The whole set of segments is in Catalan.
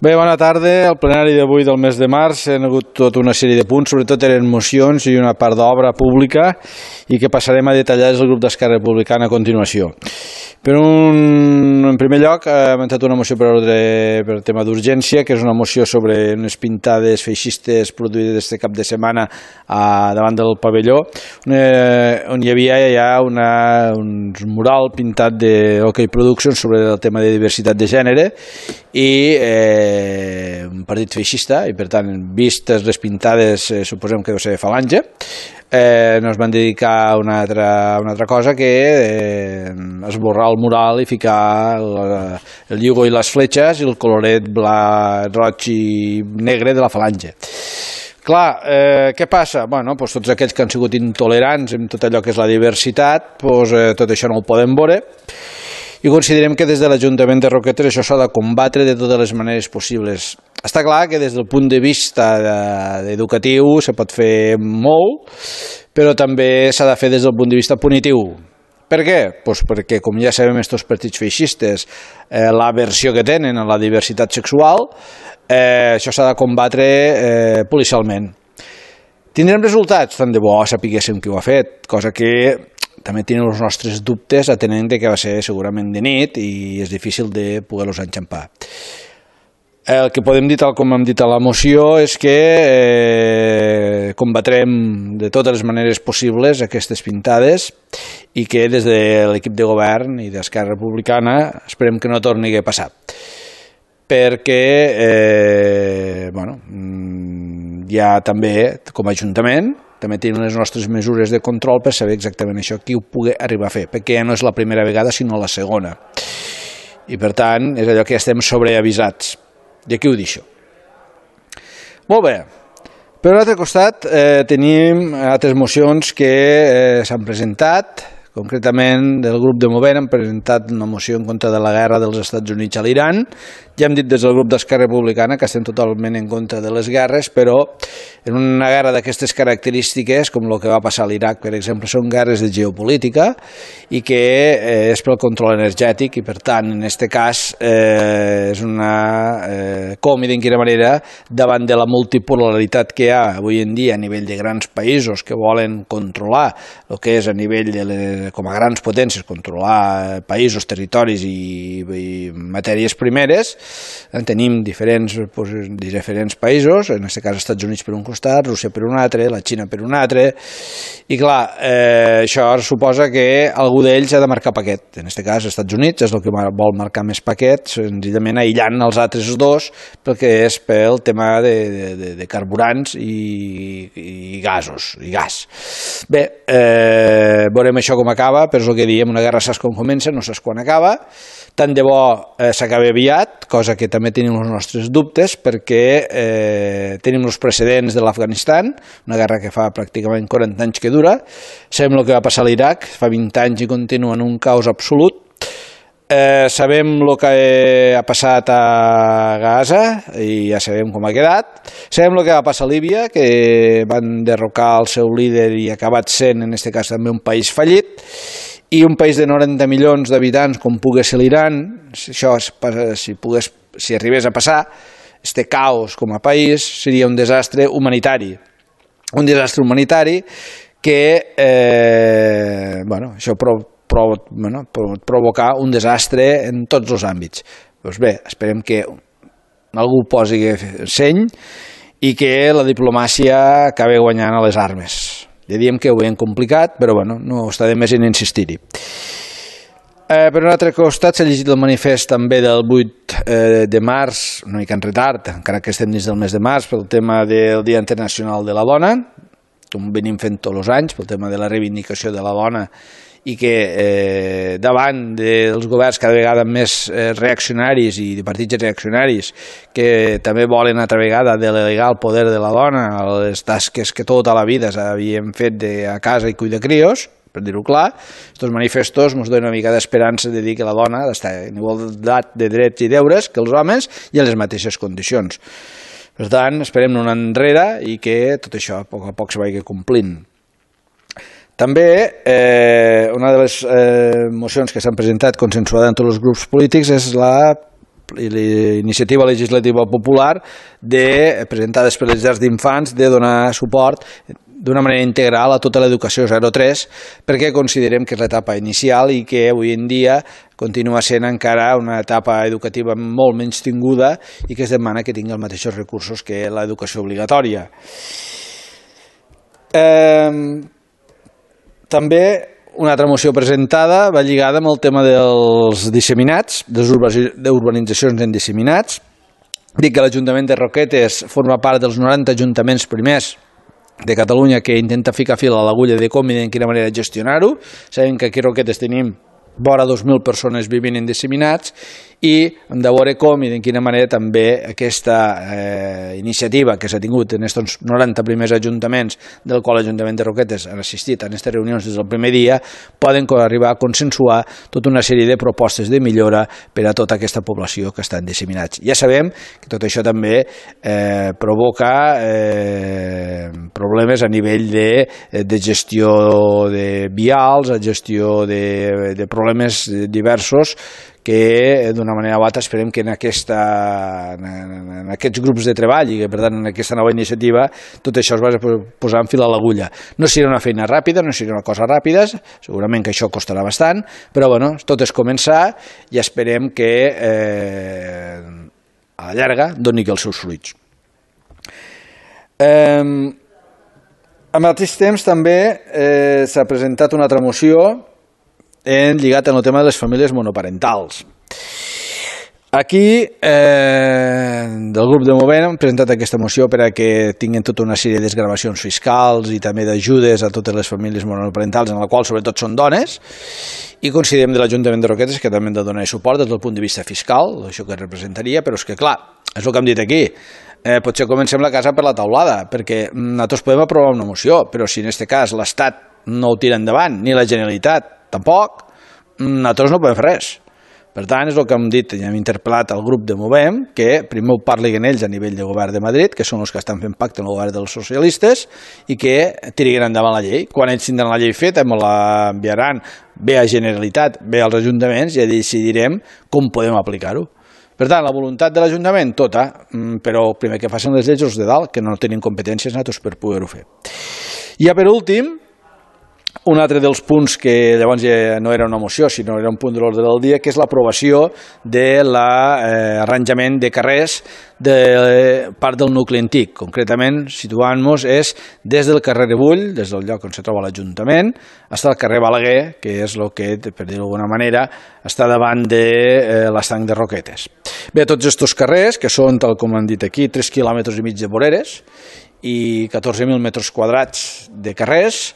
Bé, bona tarda. El plenari d'avui del mes de març ha hagut tota una sèrie de punts, sobretot eren mocions i una part d'obra pública i que passarem a detallar des del grup d'Esquerra Republicana a continuació. En primer lloc, hem entrat una moció per tema d'urgència, que és una moció sobre unes pintades feixistes produïdes este cap de setmana davant del pavelló, on hi havia ja un mural pintat de OK Productions sobre el tema de diversitat de gènere i un partit feixista, i per tant, vistes les pintades, suposem que deu ser Falange, nos van dedicar a una altra cosa, que esborrar el mural i ficar el lligo i les fletxes i el coloret roig i negre de la Falange. Clar, què passa? Bueno, doncs tots aquells que han sigut intolerants en tot allò que és la diversitat, tot això no ho poden veure, i considerem que des de l'Ajuntament de Roquetes això s'ha de combatre de totes les maneres possibles. Està clar que des del punt de vista educatiu se pot fer molt, però també s'ha de fer des del punt de vista punitiu. Per què? Doncs perquè, com ja sabem, aquests partits feixistes, l'aversió que tenen a la diversitat sexual, això s'ha de combatre policialment. Tindrem resultats? Tant de bo sapiguéssim qui ho ha fet, cosa que també tenim els nostres dubtes, atenent que va ser segurament de nit i és difícil de poder-los enxampar. El que podem dir, tal com hem dit a la moció, és que combatrem de totes les maneres possibles aquestes pintades i que des de l'equip de govern i d'Esquerra Republicana esperem que no torni a passar. Perquè ja també, com a Ajuntament, també tenim les nostres mesures de control per saber exactament això, qui ho pugui arribar a fer, perquè ja no és la primera vegada, sinó la segona. I per tant, és allò que ja estem sobreavisats. I aquí ho deixo. Molt bé. Per un altre costat, tenim altres mocions que s'han presentat. Concretament, del grup de Movent han presentat una moció en contra de la guerra dels Estats Units a l'Iran. Ja hem dit des del grup d'Esquerra Republicana que estem totalment en contra de les guerres, però en una guerra d'aquestes característiques, com el que va passar a l'Iraq, per exemple, són guerres de geopolítica i que és pel control energètic i, per tant, en aquest cas és una còmida, en quina manera, davant de la multipolaritat que hi ha avui en dia a nivell de grans països que volen controlar el que és a nivell com a grans potències, controlar països, territoris i matèries primeres. Tenim diferents països, en aquest cas Estats Units per un costat, Rússia per un altre, la Xina per un altre, i clar, això suposa que algú d'ells ha de marcar paquet. En aquest cas, Estats Units és el que vol marcar més paquet, senzillament aïllant els altres dos, perquè és pel tema de carburants i gasos, i gas. Bé, veurem això com acaba, però és el que diem, una guerra saps com comença, no saps quan acaba. Tant de bo s'acabi aviat, cosa que també tenim els nostres dubtes, perquè tenim els precedents de l'Afganistan, una guerra que fa pràcticament 40 anys que dura. Sabem el que va passar a l'Iraq, fa 20 anys i continua en un caos absolut. Sabem el que ha passat a Gaza i ja sabem com ha quedat. Sabem el que va passar a Líbia, que van derrocar el seu líder i ha acabat sent, en aquest cas, també un país fallit. I un país de 90 milions d'habitants com pugui ser l'Iran, si arribés a passar, este caos com a país seria un desastre humanitari. Un desastre humanitari que això pot provocar un desastre en tots els àmbits. Doncs bé, esperem que algú posi seny i que la diplomàcia acabi guanyant a les armes. Ja diem que ho veiem complicat, però no està de més en insistir-hi. Per un altre costat, s'ha llegit el manifest també del 8 de març, una mica en retard, encara que estem dins del mes de març, pel tema del Dia Internacional de la Dona, com venim fent tots els anys, pel tema de la reivindicació de la dona, i que davant dels governs cada vegada més reaccionaris i de partits reaccionaris que també volen altra vegada delegar el poder de la dona a les tasques que tota la vida s'havien fet a casa i cuidar crios, per dir-ho clar, aquests manifestos ens donen una mica d'esperança de dir que la dona està en igualtat de drets i deures que els homes i en les mateixes condicions. Per tant, esperem no anar enrere i que tot això a poc se vagi complint. També una de les mocions que s'han presentat consensuada en tots els grups polítics és la iniciativa legislativa popular presentades per les llars d'infants de donar suport d'una manera integral a tota l'educació 0-3, perquè considerem que és l'etapa inicial i que avui en dia continua sent encara una etapa educativa molt menys tinguda i que es demana que tingui els mateixos recursos que l'educació obligatòria. També una altra moció presentada va lligada amb el tema dels disseminats, de les urbanitzacions en disseminats. Dic que l'Ajuntament de Roquetes forma part dels 90 ajuntaments primers de Catalunya que intenta ficar fil a l'agulla de com i de quina manera gestionar-ho. Sabem que aquí a Roquetes tenim vora 2.000 persones vivint en disseminats i hem de veure com i de quina manera també aquesta iniciativa que s'ha tingut en aquests 90 primers ajuntaments del qual l'Ajuntament de Roquetes han assistit a aquestes reunions des del primer dia poden arribar a consensuar tota una sèrie de propostes de millora per a tota aquesta població que està en disseminats. Ja sabem que tot això també provoca problemes a nivell de gestió de vials, a gestió de problemes diversos que d'una manera o altra esperem que en aquests grups de treball i que per tant en aquesta nova iniciativa tot això es va posar en fil a l'agulla. No serà una feina ràpida, no serà una cosa ràpida, segurament que això costarà bastant, però bueno, tot és començar i esperem que a la llarga doni els seus fruits. Al mateix temps també s'ha presentat una altra moció lligat amb el tema de les famílies monoparentals. Aquí, del grup de Movem, hem presentat aquesta moció per a que tinguin tota una sèrie de desgravacions fiscals i també d'ajudes a totes les famílies monoparentals, en la qual sobretot són dones, i considerem de l'Ajuntament de Roquetes que també hem de donar suport des del punt de vista fiscal, això que representaria, però és que clar, és el que hem dit aquí, potser comencem la casa per la taulada, perquè nosaltres podem aprovar una moció, però si en aquest cas l'Estat no ho tira endavant, ni la Generalitat tampoc, nosaltres no podem fer res. Per tant, és el que hem dit i hem interpel·lat al grup de Movem, que primer ho parlin ells a nivell de govern de Madrid, que són els que estan fent pacte amb el govern dels socialistes, i que tiriguin endavant la llei. Quan ells tindran la llei feta, ens l'enviaran bé a Generalitat, bé als ajuntaments, i ja decidirem com podem aplicar-ho. Per tant, la voluntat de l'Ajuntament, tota, però primer que facin les lleis els de dalt, que no tenim competències nosaltres per poder-ho fer. I ja per últim, un altre dels punts que llavors ja no era una moció, sinó era un punt de l'ordre del dia, que és l'aprovació de l'arranjament de carrers de part del nucli antic. Concretament, situant-nos, és des del carrer Rebull, des del lloc on se troba l'Ajuntament, fins al carrer Balaguer, que és el que, per dir-ho d'alguna manera, està davant de l'estanc de Roquetes. Bé, tots aquests carrers, que són, tal com han dit aquí, 3,5 quilòmetres de voreres i 14.000 metres quadrats de carrers,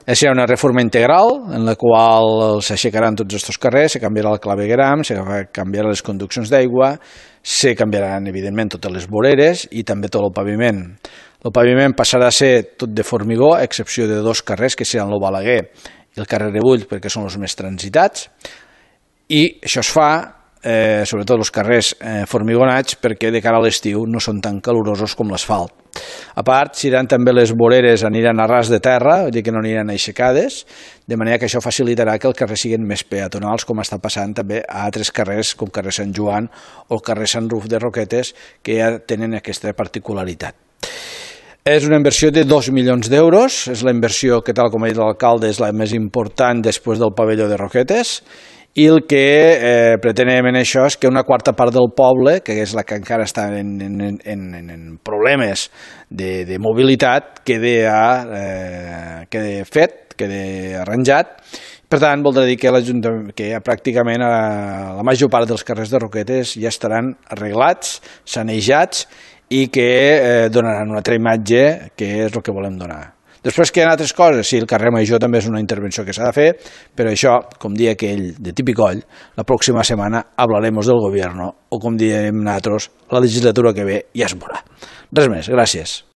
serà una reforma integral en la qual s'aixecaran tots aquests carrers, se canviarà el clavegueram, se canviaran les conduccions d'aigua, se canviaran evidentment totes les voreres i també tot el paviment. El paviment passarà a ser tot de formigó, a excepció de dos carrers que seran el Balaguer i el carrer Rebull perquè són els més transitats, i això es fa sobretot els carrers formigonats perquè de cara a l'estiu no són tan calorosos com l'asfalt. A part, seran també les voreres aniran a ras de terra, vull dir que no aniran aixecades, de manera que això facilitarà que els carrers siguin més peatonals, com està passant també a altres carrers, com carrer Sant Joan o el carrer Sant Ruf de Roquetes, que ja tenen aquesta particularitat. És una inversió de 2 milions d'euros, és la inversió que, tal com ha dit l'alcalde, és la més important després del pavelló de Roquetes, i el que pretenem en això és que una quarta part del poble, que és la que encara està en problemes de mobilitat, quedi fet, quedi arranjat. Per tant, voldrà dir que pràcticament la major part dels carrers de Roquetes ja estaran arreglats, sanejats i que donaran una altra imatge, que és el que volem donar. Després que hi ha altres coses, sí, el carrer Major també és una intervenció que s'ha de fer, però això, com dia aquell de Tipicoll, la pròxima setmana hablaremos del gobierno, o com diem nosaltres, la legislatura que ve ja es veurà. Res més, gràcies.